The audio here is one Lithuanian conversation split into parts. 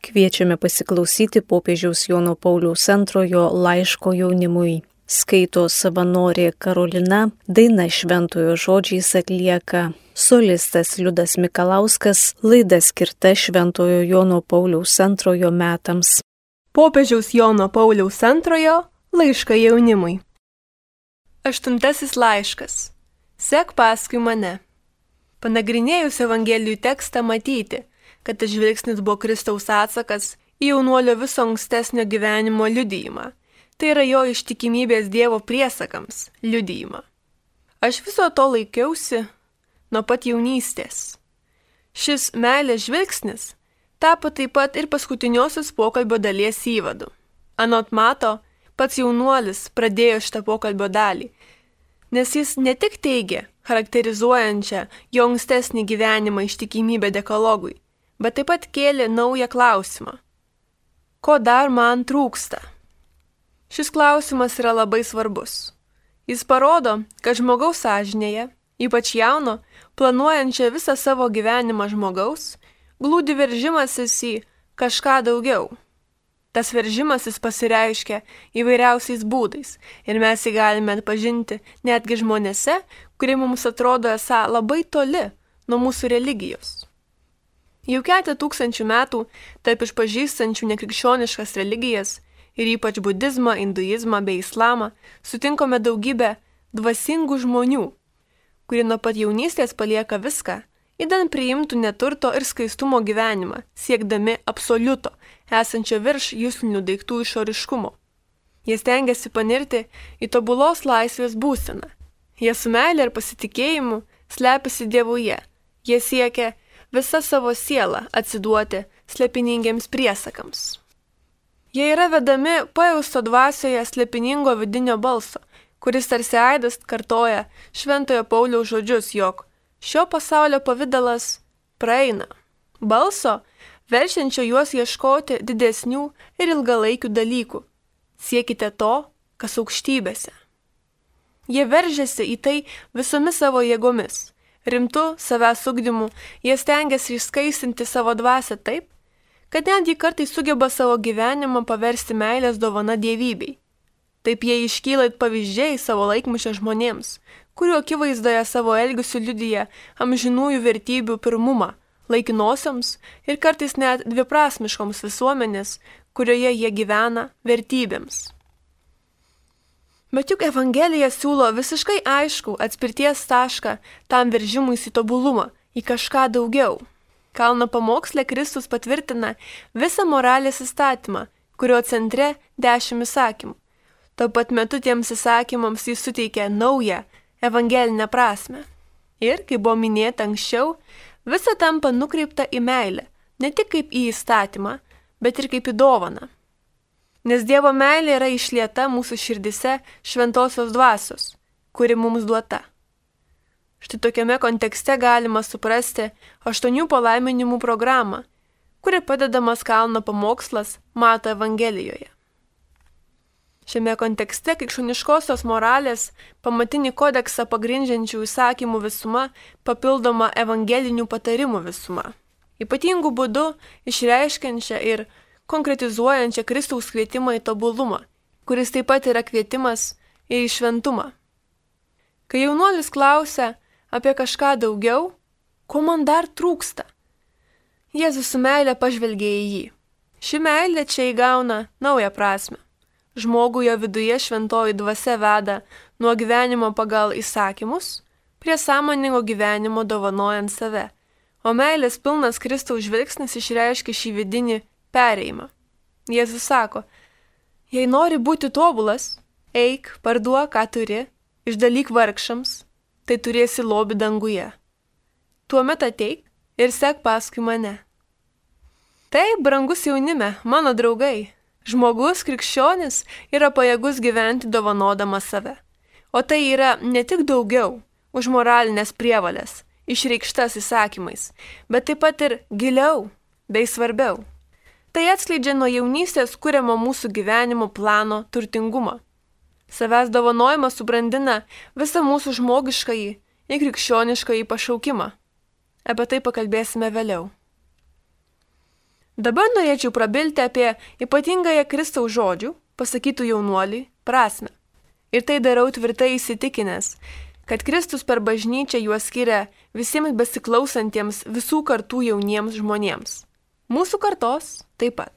Kviečiame pasiklausyti popiežiaus Jono Pauliaus II laiško jaunimui. Skaito savanorė Karolina, daina šventojo žodžiais atlieka solistas Liudas Mikalauskas, laida skirta šventojo Jono Pauliaus II metams. Popiežiaus Jono Pauliaus II laišką jaunimui. 8 laiškas. Sek paskui mane. Panagrinėjus Evangelijų tekstą matyti, kad tas žvilgsnis buvo Kristaus atsakas į jaunuolio viso ankstesnio gyvenimo liudijimą. Tai yra jo ištikimybės Dievo priesakams liudijimą. Aš viso to laikiausi nuo pat jaunystės. Šis meilės žvilgsnis tapo taip pat ir paskutiniosios pokalbio dalies įvadu. Anot Mato, pats jaunuolis pradėjo šitą pokalbio dalį, nes jis ne tik teigė charakterizuojančią jo ankstesnį gyvenimą ištikimybę dekalogui, bet taip pat kėlė naują klausimą. Ko dar man trūksta? Šis klausimas yra labai svarbus. Jis parodo, kad žmogaus sąžinėje, ypač jauno, planuojančio visą savo gyvenimą žmogaus, glūdi veržimasis į kažką daugiau. Tas veržimasis pasireiškia įvairiausiais būdais ir mes jį galime atpažinti netgi žmonėse, kurie mums atrodo esą labai toli nuo mūsų religijos. Jau 4000 metų taip išpažįstančių nekrikščioniškas religijas ir ypač budizmą, hinduizmą bei islamą sutinkame daugybę dvasingų žmonių, kurie nuo pat jaunystės palieka viską, idant priimtų neturto ir skaistumo gyvenimą, siekdami absoliuto, esančio virš juslinių daiktų išoriškumo. Jie stengiasi panirti į tobulos laisvės būseną. Jie su meile ir pasitikėjimu slepiasi Dievuje. Jie siekia visą savo sielą atsiduoti slėpiningiems priesakams. Jie yra vedami pajausto dvasioje slėpiningo vidinio balso, kuris tarsi aidas kartoja šventojo Pauliaus žodžius, jog šio pasaulio pavidalas praeina. Balso, verčiančio juos ieškoti didesnių ir ilgalaikių dalykų. Siekite to, kas aukštybėse. Jie veržiasi į tai visomis savo jėgomis. Rimtu savęs ugdymu jie stengiasi išskaisinti savo dvasią taip, kad netgi kartais sugeba savo gyvenimą paversti meilės dovana dievybei. Taip jie iškyla it pavyzdžiai savo laikmečio žmonėms, kurių akivaizdoje savo elgesiu liudija amžinųjų vertybių pirmumą, laikinosioms ir kartais net dviprasmiškoms visuomenės, kurioje jie gyvena, vertybėms. Bet juk Evangelija siūlo visiškai aišku atspirties tašką tam veržimuisi tobulumą, į kažką daugiau. Kalno pamoksle Kristus patvirtina visą moralės įstatymą, kurio centre 10 įsakymų. Tuo pat metu tiems įsakymams jis suteikia naują evangelinę prasmę. Ir, kaip buvo minėta anksčiau, visa tampa nukreipta į meilę, ne tik kaip į įstatymą, bet ir kaip į dovaną. Nes Dievo meilė yra išlieta mūsų širdise šventosios dvasios, kuri mums duota. Štai tokiame kontekste galima suprasti 8 palaiminimų programą, kuri padedamas kalno pamokslas Mato Evangelijoje. Šiame kontekste krikščioniškosios moralės pamatinį kodeksą pagrindžiančių įsakymų visuma papildoma evangelinių patarimų visuma. Ypatingų būdų išreiškiančia ir konkretizuojančią Kristaus kvietimą į tobulumą, kuris taip pat yra kvietimas ir į šventumą. Kai jaunuolis klausia apie kažką daugiau, ko man dar trūksta, Jėzus su meile pažvelgia į jį. Ši meilė čia įgauna naują prasme. Žmogų jo viduje šventoji dvasia veda nuo gyvenimo pagal įsakymus prie sąmoningo gyvenimo dovanojant save, o meilės pilnas Kristaus žvilgsnis išreiškia šį vidinį perėjimą. Jėzus sako, jei nori būti tobulas, eik, parduok, ką turi, išdalyk vargšams, tai turėsi lobį danguje. Tuomet ateik ir sek paskui mane. Taip, brangus jaunime, mano draugai, žmogus krikščionis yra pajėgus gyventi dovanodamas save. O tai yra ne tik daugiau už moralinės prievalės, išreikštas įsakymais, bet taip pat ir giliau bei svarbiau. Tai atskleidžia nuo jaunystės kuriamo mūsų gyvenimo plano turtingumą. Savęs dovanojimas subrandina visą mūsų žmogiškąjį ir krikščioniškąjį pašaukimą. Apie tai pakalbėsime vėliau. Dabar norėčiau prabilti apie ypatingąją Kristaus žodžių, pasakytų jaunuoliui, prasmę. Ir tai darau tvirtai įsitikinęs, kad Kristus per bažnyčią juos skiria visiems besiklausantiems visų kartų jauniems žmonėms. Mūsų kartos taip pat.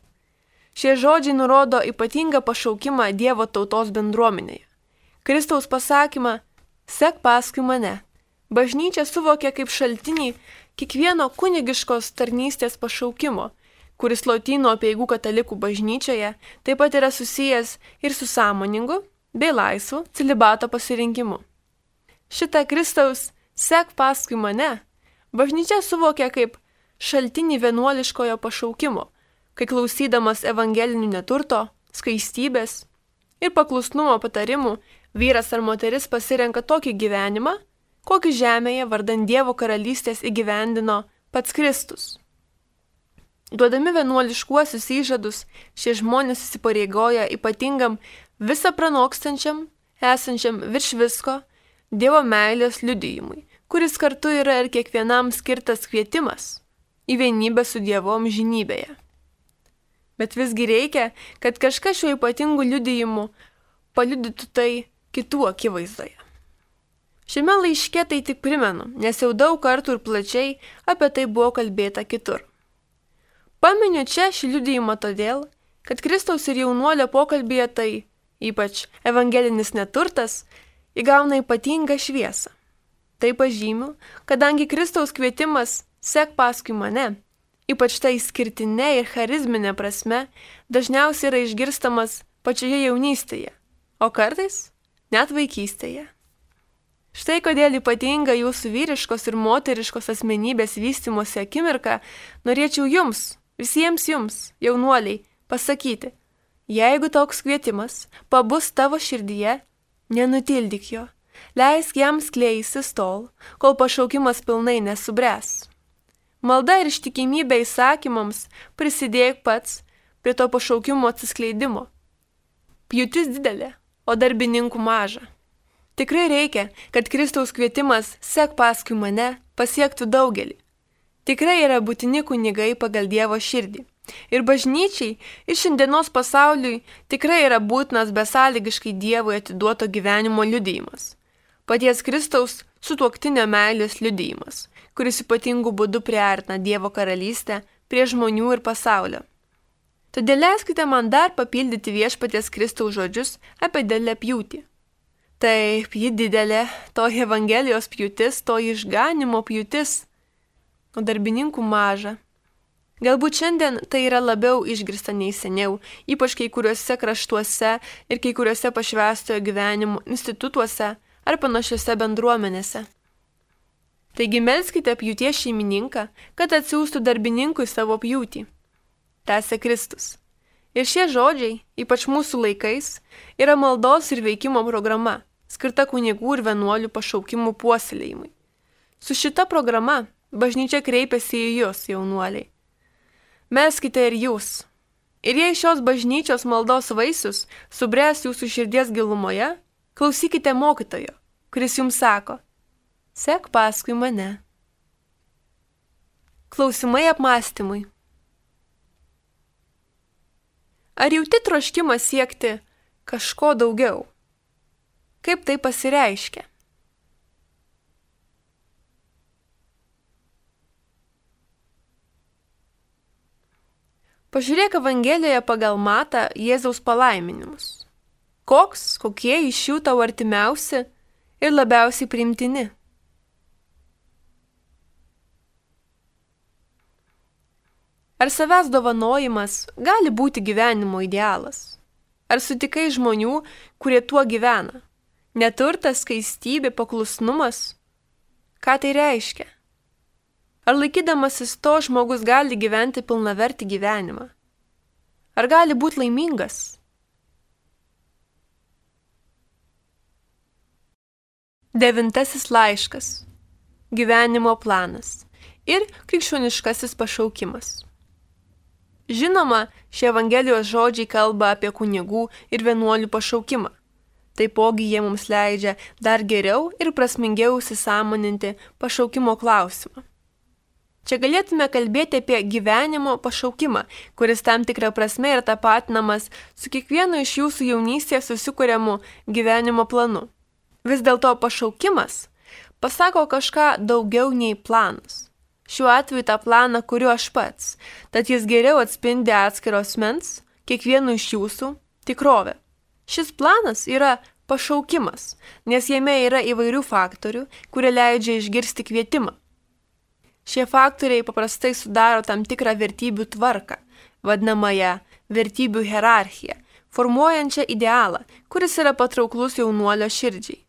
Šie žodžiai nurodo ypatingą pašaukimą Dievo tautos bendruomenėje. Kristaus pasakymą "Sek paskui mane" bažnyčia suvokia kaip šaltinį kiekvieno kunigiškos tarnystės pašaukimo, kuris Lotynų apeigų katalikų bažnyčioje taip pat yra susijęs ir su sąmoningu bei laisvu celibato pasirinkimu. Šitą Kristaus "Sek paskui mane" bažnyčia suvokia kaip šaltinį vienuoliškojo pašaukimo, kai klausydamas evangelinių neturto, skaistybės ir paklusnumo patarimų vyras ar moteris pasirenka tokį gyvenimą, kokį žemėje vardan Dievo karalystės įgyvendino pats Kristus. Duodami vienuoliškuosius įžadus, šie žmonės įsipareigoja ypatingam visą pranokstančiam, esančiam virš visko Dievo meilės liudijimui, kuris kartu yra ir kiekvienam skirtas kvietimas į vienybę su Dievu amžinybėje. Bet visgi reikia, kad kažkas šiuo ypatingu liudijimu paliudytų tai kitų akivaizdoje. Šiame laiške tai tik primenu, nes jau daug kartų ir plačiai apie tai buvo kalbėta kitur. Paminiu čia šį liudijimą todėl, kad Kristaus ir jaunuolio pokalbėje tai, ypač evangelinis neturtas, įgauna ypatingą šviesą. Tai pažymiu, kadangi Kristaus kvietimas "Sek paskui mane", ypač tai išskirtinė ir charizminė prasme, dažniausiai yra išgirstamas pačioje jaunystėje, o kartais net vaikystėje. Štai kodėl ypatinga jūsų vyriškos ir moteriškos asmenybės vystymosi akimirka norėčiau jums, visiems jums, jaunuoliai, pasakyti, jeigu toks kvietimas pabus tavo širdyje, nenutildyk jo, leisk jam skleisis tol, kol pašaukimas pilnai nesubręs. Malda ir ištikimybė įsakymams prisidėk pats prie to pašaukimo atsiskleidimo. Pjūtis didelė, o darbininkų maža. Tikrai reikia, kad Kristaus kvietimas "Sek paskui mane" pasiektų daugelį. Tikrai yra būtini kunigai pagal Dievo širdį. Ir bažnyčiai, ir šiandienos pasauliui tikrai yra būtinas besąlygiškai Dievui atiduoto gyvenimo liudijimas. Paties Kristaus sutuoktinio meilės liudijimas, kuris ypatingų būdų priartina Dievo karalystę prie žmonių ir pasaulio. Todėl leiskite man dar papildyti viešpaties Kristaus žodžius apie didelę pjūtį. Taip, ji didelė, to Evangelijos pjūtis, to išganimo pjūtis, o darbininkų maža. Galbūt šiandien tai yra labiau išgirsta nei seniau, ypač kai kuriuose kraštuose ir kai kuriuose pašvęstojo gyvenimo institutuose ar panašiose bendruomenėse. Taigi melskite pjūties šeimininką, kad atsiųstų darbininkui savo pjūtį. Tęsė Kristus. Ir šie žodžiai, ypač mūsų laikais, yra maldos ir veikimo programa, skirta kunigų ir vienuolių pašaukimų puoselėjimui. Su šita programa bažnyčia kreipiasi į jūs, jaunuoliai. Melskite ir jūs. Ir jei šios bažnyčios maldos vaisius subręs jūsų širdies gilumoje, klausykite mokytojo, kuris jums sako: "Sek paskui mane." Klausimai apmąstymui. Ar jauti troškimą siekti kažko daugiau? Kaip tai pasireiškia? Pažiūrėk Evangelijoje pagal Matą Jėzaus palaiminimus. Kokie iš jų tau artimiausi ir labiausiai priimtini? Ar savęs dovanojimas gali būti gyvenimo idealas? Ar sutikai žmonių, kurie tuo gyvena? Neturtas, skaistybė, paklusnumas? Ką tai reiškia? Ar laikydamasis to žmogus gali gyventi pilnavertį gyvenimą? Ar gali būti laimingas? Devintasis laiškas. Gyvenimo planas ir krikščioniškasis pašaukimas. Žinoma, šie Evangelijos žodžiai kalba apie kunigų ir vienuolių pašaukimą. Taipogi jie mums leidžia dar geriau ir prasmingiau įsisąmoninti pašaukimo klausimą. Čia galėtume kalbėti apie gyvenimo pašaukimą, kuris tam tikrą prasme yra tapatinamas su kiekvienu iš jūsų jaunystėje susikuriamu gyvenimo planu. Vis dėlto pašaukimas pasako kažką daugiau nei planas. Šiuo atveju tą planą kuriu aš pats, tad jis geriau atspindi atskiro asmens, kiekvieno iš jūsų, tikrovę. Šis planas yra pašaukimas, nes jame yra įvairių faktorių, kurie leidžia išgirsti kvietimą. Šie faktoriai paprastai sudaro tam tikrą vertybių tvarką, vadinamąją vertybių hierarchiją, formuojančią idealą, kuris yra patrauklus jaunuolio širdžiai.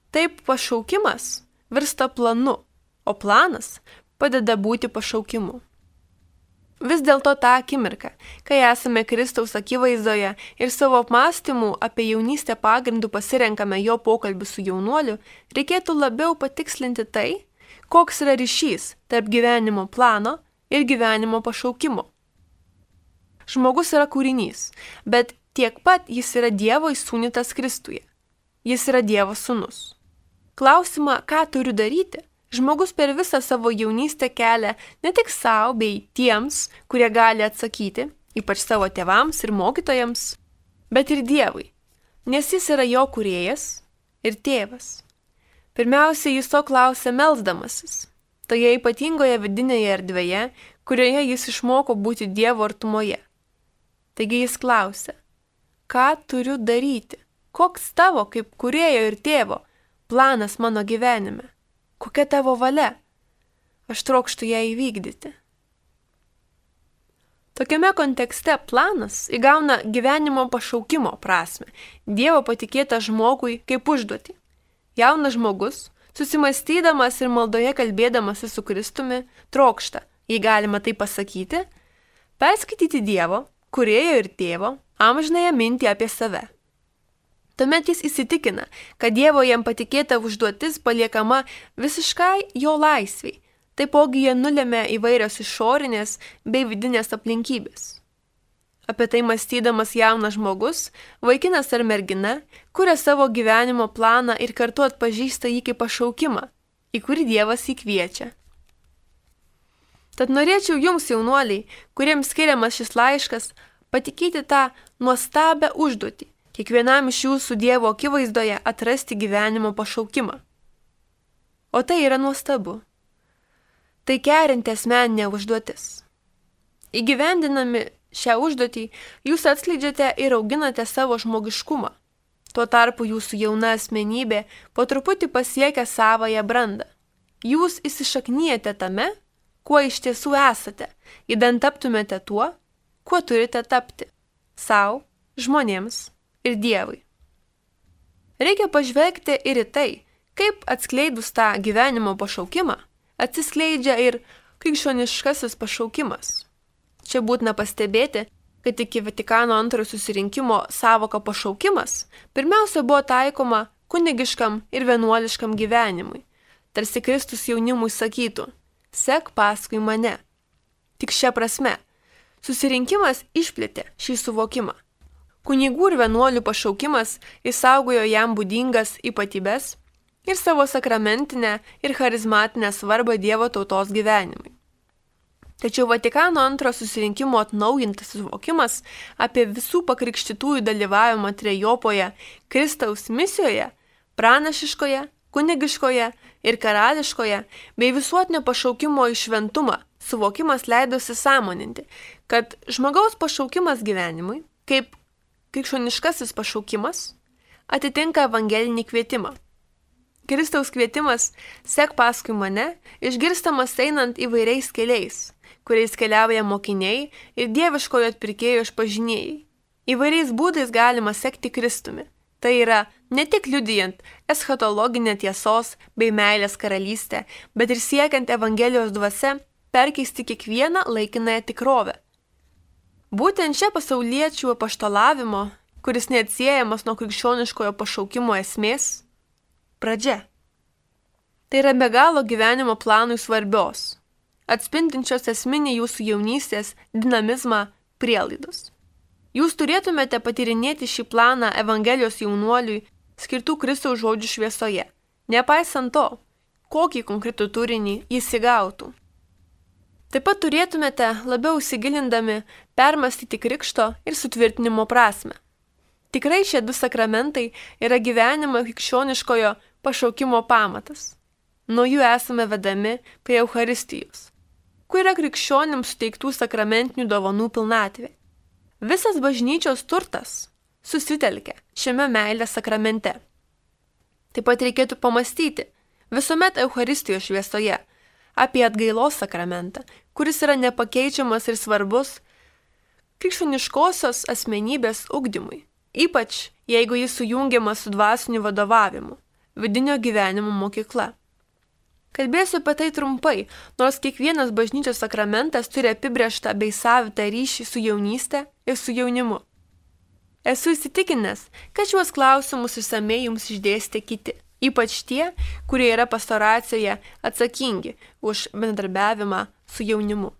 Taip pašaukimas virsta planu, o planas padeda būti pašaukimu. Vis dėlto tą akimirką, kai esame Kristaus akivaizdoje ir savo apmąstymų apie jaunystę pagrindų pasirenkame jo pokalbį su jaunuoliu, reikėtų labiau patikslinti tai, koks yra ryšys tarp gyvenimo plano ir gyvenimo pašaukimo. Žmogus yra kūrinys, bet tiek pat jis yra Dievo įsūnytas Kristuje. Jis yra Dievo sūnus. Klausimą, ką turiu daryti, žmogus per visą savo jaunystę kelia ne tik savo bei tiems, kurie gali atsakyti, ypač savo tėvams ir mokytojams, bet ir Dievui, nes jis yra jo kūrėjas ir tėvas. Pirmiausia, jis to klausia melsdamasis, toje ypatingoje vidinėje erdvėje, kurioje jis išmoko būti Dievo artumoje. Taigi jis klausia, ką turiu daryti, koks tavo kaip kūrėjo ir tėvo planas mano gyvenime, kokia tavo valia, aš trokštu ją įvykdyti. Tokiame kontekste planas įgauna gyvenimo pašaukimo prasme, Dievo patikėtą žmogui kaip užduotį. Jaunas žmogus, susimastydamas ir maldoje kalbėdamasi su Kristumi, trokšta, jei galima tai pasakyti, perskaityti Dievo, kūrėjo ir tėvo, amžinąją mintį apie save. Tuomet jis įsitikina, kad Dievo jam patikėta užduotis paliekama visiškai jo laisviai, taipogi jie nulėmė įvairios išorinės bei vidinės aplinkybės. Apie tai mąstydamas jaunas žmogus, vaikinas ar mergina, kuria savo gyvenimo planą ir kartu atpažįsta jį kaip pašaukimą, į kurį Dievas jį kviečia. Tad norėčiau jums, jaunuoliai, kuriems skiriamas šis laiškas, patikėti tą nuostabią užduotį, kiekvienam iš jūsų Dievo akivaizdoje atrasti gyvenimo pašaukimą. O tai yra nuostabu. Tai kerinti asmeninė užduotis. Įgyvendinami šią užduotį, jūs atskleidžiate ir auginate savo žmogiškumą. Tuo tarpu jūsų jauna asmenybė po truputį pasiekia savąją brandą. Jūs įsišaknyjate tame, kuo iš tiesų esate, idant taptumėte tuo, kuo turite tapti – sau, žmonėms ir Dievui. Reikia pažvelgti ir į tai, kaip atskleidus tą gyvenimo pašaukimą, atsiskleidžia ir krikščioniškasis pašaukimas. Čia būtina pastebėti, kad iki Vatikano antrojo susirinkimo sąvoka pašaukimas pirmiausia buvo taikoma kunigiškam ir vienuoliškam gyvenimui. Tarsi Kristus jaunimui sakytų, sek paskui mane. Tik šia prasme, susirinkimas išplėtė šį suvokimą. Kunigų ir vienuolių pašaukimas išsaugojo jam būdingas ypatybes ir savo sakramentinę ir charizmatinę svarbą Dievo tautos gyvenimui. Tačiau Vatikano antrojo susirinkimo atnaujintas suvokimas apie visų pakrikštytųjų dalyvavimą trejopoje Kristaus misijoje, pranašiškoje, kunigiškoje ir karališkoje bei visuotinio pašaukimo į šventumą suvokimas leidosi sąmoninti, kad žmogaus pašaukimas gyvenimui, kaip krikščioniškasis pašaukimas, atitinka evangelinį kvietimą. Kristaus kvietimas sek paskui mane išgirstamas einant įvairiais keliais, kuriais keliauja mokiniai ir dieviškojo atpirkėjo išpažinėjai. Įvairiais būdais galima sekti Kristumi. Tai yra ne tik liudijant eschatologinę tiesos bei meilės karalystę, bet ir siekiant Evangelijos dvasia perkeisti kiekvieną laikinąją tikrovę. Būtent čia pasauliečių apaštalavimo, kuris neatsiejamas nuo krikščioniškojo pašaukimo esmės, pradžia. Tai yra be galo gyvenimo planui svarbios, atspindinčios esminį jūsų jaunystės dinamizmą prielaidos. Jūs turėtumėte patyrinėti šį planą Evangelijos jaunuoliui skirtų Kristaus žodžių šviesoje, nepaisant to, kokį konkretų turinį jis įgautų. Taip pat turėtumėte labiau įsigilindami permastyti krikšto ir sutvirtinimo prasmę. Tikrai šie du sakramentai yra gyvenimo krikščioniškojo pašaukimo pamatas. Nuo jų esame vedami prie Eucharistijos, kur yra krikščionims suteiktų sakramentinių dovanų pilnatvė. Visas bažnyčios turtas susitelkia šiame meilės sakramente. Taip pat reikėtų pamastyti visuomet Eucharistijos šviesoje apie atgailos sakramentą, kuris yra nepakeičiamas ir svarbus krikščioniškosios asmenybės ugdymui, ypač jeigu jis sujungiamas su dvasiniu vadovavimu, vidinio gyvenimo mokykla. Kalbėsiu apie tai trumpai, nors kiekvienas bažnyčios sakramentas turi apibrėžtą bei savitą ryšį su jaunyste ir su jaunimu. Esu įsitikinęs, kad šiuos klausimus išsamei jums išdėstė kiti, ypač tie, kurie yra pastoracijoje atsakingi už bendradarbiavimą su jaunimu.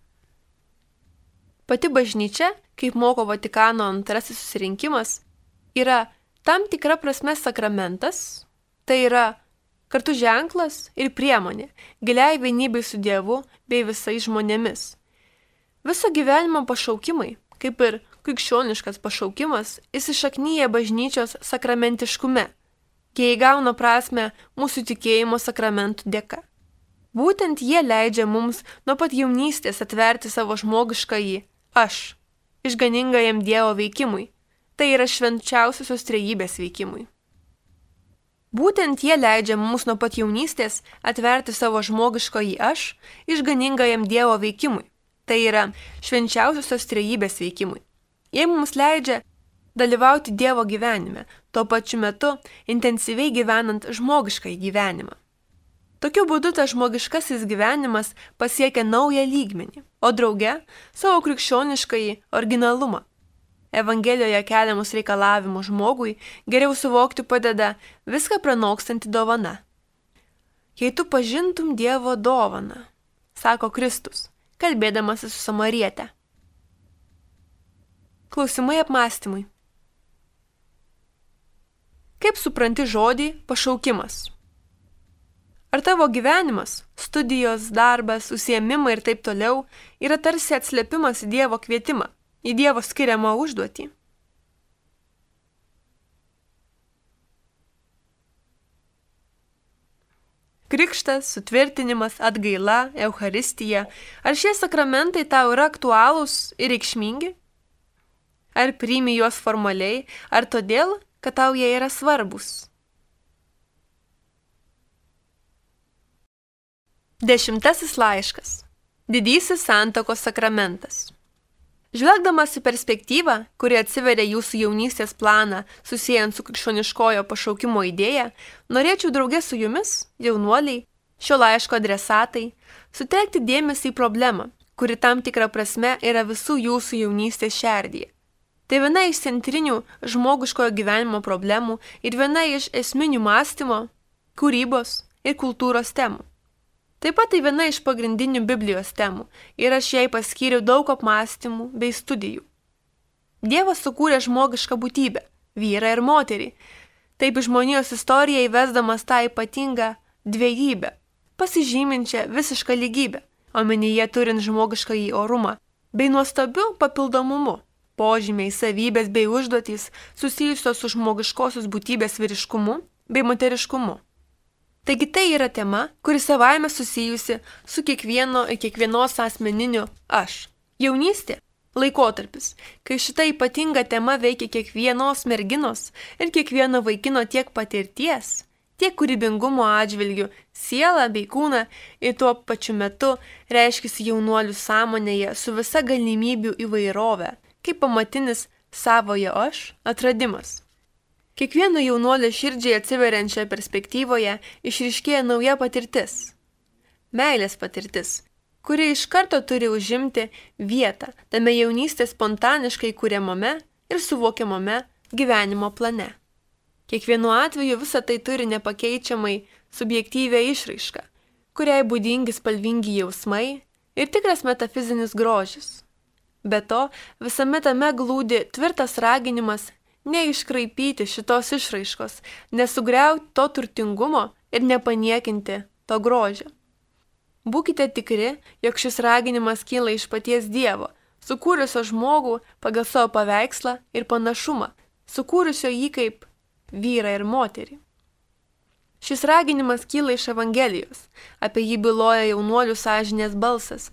Pati bažnyčia, kaip moko Vatikano antrasis susirinkimas, yra tam tikra prasme sakramentas, tai yra kartu ženklas ir priemonė giliai vienybei su Dievu bei visais žmonėmis. Viso gyvenimo pašaukimai, kaip ir krikščioniškas pašaukimas, įsišaknyja bažnyčios sakramentiškume. Jie įgauna prasmę mūsų tikėjimo sakramentų dėka. Būtent jie leidžia mums nuo pat jaunystės atverti savo žmogiškąjį aš, išganingajam Dievo veikimui, tai yra švenčiausiosios trejybės veikimui. Būtent jie leidžia mums nuo pat jaunystės atverti savo žmogiškąjį aš, išganingajam Dievo veikimui, tai yra švenčiausiosios trejybės veikimui. Jie mums leidžia dalyvauti Dievo gyvenime, tuo pačiu metu intensyviai gyvenant žmogiškąjį gyvenimą. Tokiu būdu tas žmogiškasis gyvenimas pasiekia naują lygmenį, o drauge savo krikščioniškąjį originalumą. Evangelijoje keliamus reikalavimus žmogui geriau suvokti padeda viską pranokstanti dovana. Jei tu pažintum Dievo dovaną, sako Kristus, kalbėdamas su Samariete. Klausimai apmąstymui. Kaip supranti žodį pašaukimas? Ar tavo gyvenimas, studijos, darbas, užsiėmimai ir taip toliau yra tarsi atslėpimas į Dievo kvietimą, į Dievo skiriamą užduotį? Krikštas, sutvirtinimas, atgaila, Eucharistija, ar šie sakramentai tau yra aktualūs ir reikšmingi? Ar priimi juos formaliai, ar todėl, kad tau jie yra svarbus? 10 laiškas. Didysis santuokos sakramentas. Žvelgdamas į perspektyvą, kuri atsiveria jūsų jaunystės planą susijęs su krikščioniškojo pašaukimo idėja, norėčiau drauge su jumis, jaunuoliai, šio laiško adresatai, sutelkti dėmesį į problemą, kuri tam tikrą prasme yra visų jūsų jaunystės šerdyje. Tai viena iš centrinių žmogiškojo gyvenimo problemų ir viena iš esminių mąstymo, kūrybos ir kultūros temų. Taip pat tai viena iš pagrindinių Biblijos temų ir aš jai paskyriau daug apmąstymų bei studijų. Dievas sukūrė žmogišką būtybę, vyrą ir moterį, taip žmonijos istoriją įvesdamas tą ypatingą dviejybę, pasižyminčią visišką lygybę, omenyje turint žmogiškąjį orumą, bei nuostabiu papildomumu, požymiai, savybės bei užduotys susijusios su žmogiškosios būtybės vyriškumu bei moteriškumu. Taigi tai yra tema, kuri savaime susijusi su kiekvieno ir kiekvienos asmeniniu aš. Jaunystė – laikotarpis, kai šita ypatinga tema veikia kiekvienos merginos ir kiekvieno vaikino tiek patirties, tiek kūrybingumo atžvilgių, sielą bei kūną ir tuo pačiu metu reiškiasi jaunuolių sąmonėje su visa galimybių įvairove, kaip pamatinis savojo aš atradimas. Kiekvieno jaunuolio širdžiai atsiveriančioje perspektyvoje išryškėja nauja patirtis. Meilės patirtis, kuri iš karto turi užimti vietą tame jaunystės spontaniškai kuriamame ir suvokiamame gyvenimo plane. Kiekvienu atveju visa tai turi nepakeičiamai subjektyvią išraišką, kuriai būdingi spalvingi jausmai ir tikras metafizinis grožis. Be to, visame tame glūdi tvirtas raginimas neiškraipyti šitos išraiškos, nesugriauti to turtingumo ir nepaniekinti to grožio. Būkite tikri, jog šis raginimas kyla iš paties Dievo, sukūrusio žmogų pagal savo paveikslą ir panašumą, sukūrusio jį kaip vyrą ir moterį. Šis raginimas kyla iš Evangelijos, apie jį byloja jaunuolių sąžinės balsas,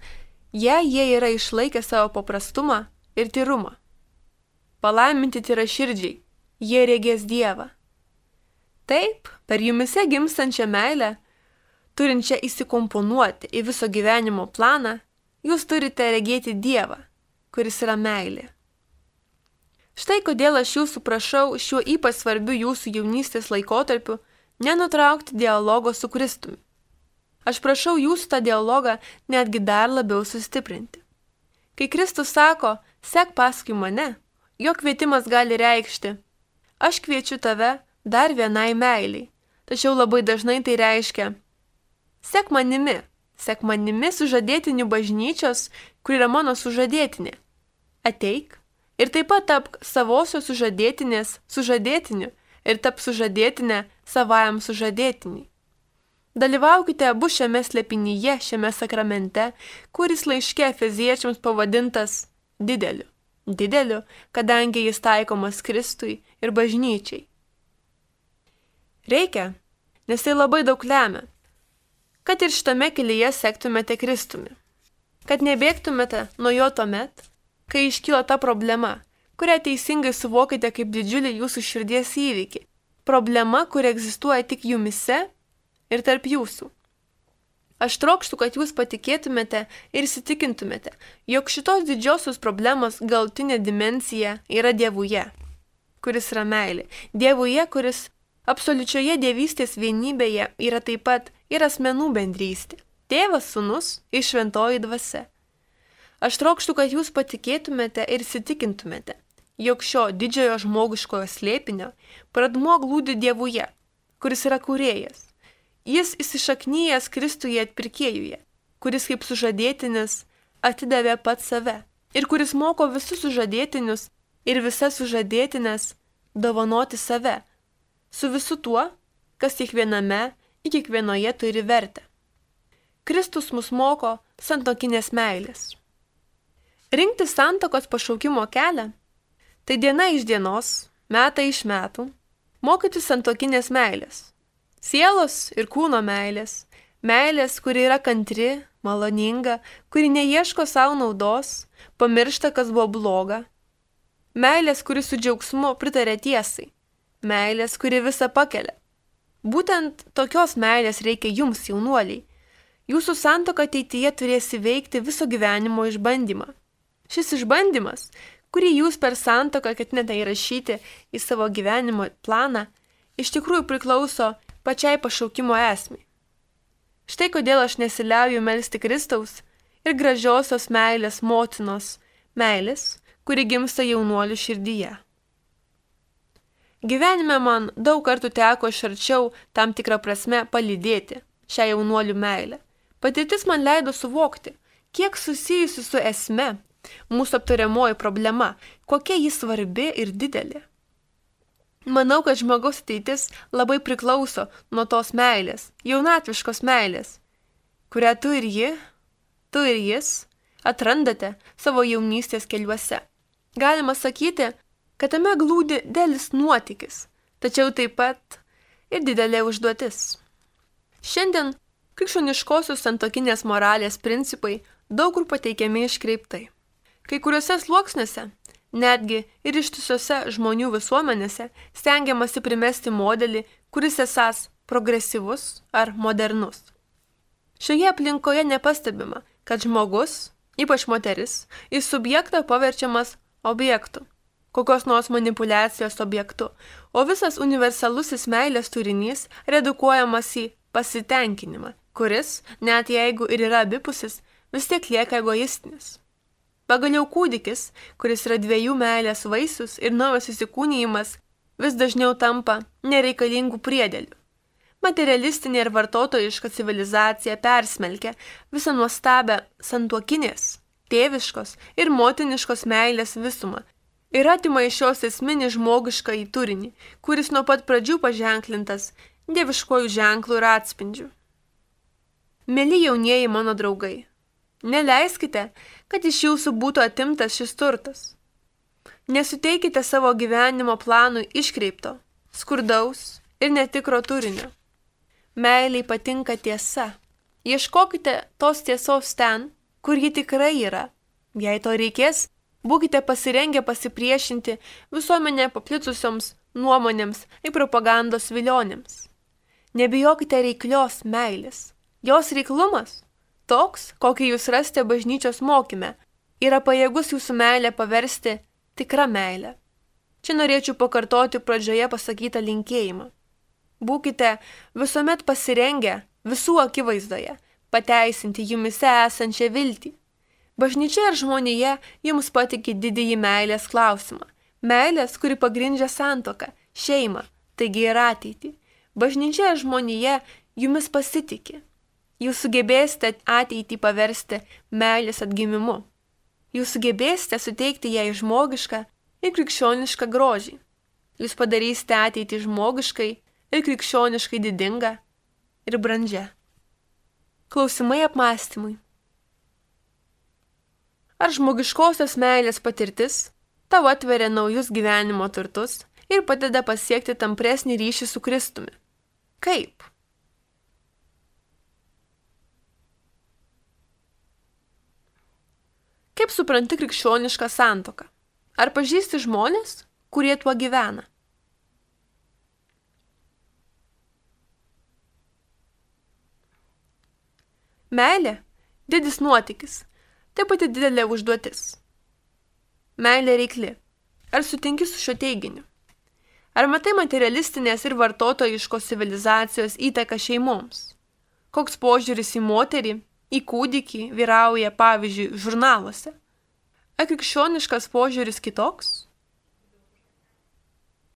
jei jie yra išlaikę savo paprastumą ir tyrumą. Palaiminti tyraširdžiai, jie regės Dievą. Taip, per jumise gimstančią meilę, turinčią įsikomponuoti į viso gyvenimo planą, jūs turite regėti Dievą, kuris yra meilė. Štai kodėl aš jūsų prašau šiuo ypač svarbiu jūsų jaunystės laikotarpiu nenutraukti dialogo su Kristumi. Aš prašau jūsų tą dialogą netgi dar labiau sustiprinti. Kai Kristus sako, sek paskui mane, jo kvietimas gali reikšti, aš kviečiu tave dar vienai meiliai, tačiau labai dažnai tai reiškia, sek manimi sužadėtinių bažnyčios, kur yra mano sužadėtinė. Ateik ir taip pat tapk savosios sužadėtinės sužadėtiniu ir tap sužadėtinę savajam sužadėtiniui. Dalyvaukite abu šiame slėpinyje, šiame sakramente, kuris laiške Efeziečiams pavadintas dideliu. Dideliu, kadangi jis taikomas Kristui ir bažnyčiai. Reikia, nes tai labai daug lemia, kad ir šitame kelyje sektumėte Kristumi. Kad nebėgtumėte nuo jo tuomet, kai iškyla ta problema, kurią teisingai suvokite kaip didžiulį jūsų širdies įvykį. Problema, kuri egzistuoja tik jumise ir tarp jūsų. Aš trokštu, kad jūs patikėtumėte ir įsitikintumėte, jog šitos didžiosios problemos galutinė dimensija yra Dievuje, kuris yra meilė. Dievuje, kuris absoliučioje dievystės vienybėje yra taip pat ir asmenų bendrystė. Tėvas, Sūnus ir Šventoji Dvasia. Aš trokštu, kad jūs patikėtumėte ir įsitikintumėte, jog šio didžiojo žmogiškojo slėpinio pradmuo glūdi Dievuje, kuris yra kūrėjas. Jis įsišaknyjęs Kristuje atpirkėjuje, kuris kaip sužadėtinis atidavė pats save ir kuris moko visus sužadėtinius ir visas sužadėtinės dovanoti save, su visu tuo, kas kiekviename ir kiekvienoje turi vertę. Kristus mus moko santuokinės meilės. Rinkti santuokos pašaukimo kelią – tai diena iš dienos, metai iš metų, mokyti santuokinės meilės. Sielos ir kūno meilės, meilės, kuri yra kantri, maloninga, kuri neieško savo naudos, pamiršta, kas buvo bloga. Meilės, kuri su džiaugsmu pritarė tiesai, meilės, kuri visą pakelia. Būtent tokios meilės reikia jums, jaunuoliai. Jūsų santuoka ateityje turės įveikti viso gyvenimo išbandymą. Šis išbandymas, kurį jūs per santuoką ketinate įrašyti į savo gyvenimo planą, iš tikrųjų priklauso pačiai pašaukimo esmei. Štai kodėl aš nesiliauju melsti Kristaus ir gražiosios meilės motinos meilės, kuri gimsta jaunuolių širdyje. Gyvenime man daug kartų teko iš arčiau tam tikrą prasme palydėti šią jaunuolių meilę. Patirtis man leido suvokti, kiek susijusi su esme mūsų aptariamoji problema, kokia ji svarbi ir didelė. Manau, kad žmogaus ateitis labai priklauso nuo tos meilės, jaunatviškos meilės, kurią tu ir jis atrandate savo jaunystės keliuose. Galima sakyti, kad tame glūdi didelis nuotykis, tačiau taip pat ir didelė užduotis. Šiandien krikščioniškosios santuokinės moralės principai daug kur pateikiami iškreiptai. Kai kuriuose sluoksniuose, netgi ir ištisose žmonių visuomenėse, stengiamasi primesti modelį, kuris esąs progresyvus ar modernus. Šioje aplinkoje nepastebima, kad žmogus, ypač moteris, į subjektą paverčiamas objektu, kokios nors manipulacijos objektu, o visas universalusis meilės turinys redukuojamas į pasitenkinimą, kuris, net jeigu ir yra abipusis, vis tiek lieka egoistinis. Pagaliau kūdikis, kuris yra dviejų meilės vaisius ir naujas įsikūnijimas, vis dažniau tampa nereikalingų priedėlių. Materialistinė ir vartotojiška civilizacija persmelkia visą nuostabę santuokinės, tėviškos ir motiniškos meilės visumą ir atima iš šios esminį žmogišką į turinį, kuris nuo pat pradžių paženklintas dieviškojų ženklų ir atspindžių. Mėly jaunieji mano draugai, neleiskite, kad iš jūsų būtų atimtas šis turtas. Nesuteikite savo gyvenimo planui iškreipto, skurdaus ir netikro turinio. Meiliai patinka tiesa. Ieškokite tos tiesos ten, kur ji tikrai yra. Jei to reikės, būkite pasirengę pasipriešinti visuomenė paplitusioms nuomonėms ir propagandos vilionėms. Nebijokite reiklios meilės. Jos reiklumas, toks, kokį jūs rasite bažnyčios mokyme, yra pajėgus jūsų meilę paversti tikrą meilę. Čia norėčiau pakartoti pradžioje pasakytą linkėjimą. Būkite visuomet pasirengę visų akivaizdoje pateisinti jumise esančią viltį. Bažnyčia ir žmonėje jums patikė didįjį meilės klausimą. Meilės, kuri pagrindžia santuoką, šeimą, taigi ir ateitį. Bažnyčia ir žmonėje jumis pasitikė. Jūs sugebėsite ateitį paversti meilės atgimimu. Jūs sugebėsite suteikti jai žmogišką ir krikščionišką grožį. Jūs padarysite ateitį žmogiškai ir krikščioniškai didingą ir brandžią. Klausimai apmąstymui. Ar žmogiškosios meilės patirtis tau atveria naujus gyvenimo turtus ir padeda pasiekti tampresnį ryšį su Kristumi? Kaip? Kaip supranti krikščionišką santuoką? Ar pažįsti žmonės, kurie tuo gyvena? Meilė – didis nuotykis, taip pat didelė užduotis. Meilė reikli. Ar sutinki su šio teiginiu? Ar matai materialistinės ir vartotojiškos civilizacijos įtaką šeimoms? Koks požiūris į moterį, į kūdikį vyrauja, pavyzdžiui, žurnaluose? Ar krikščioniškas požiūris kitoks?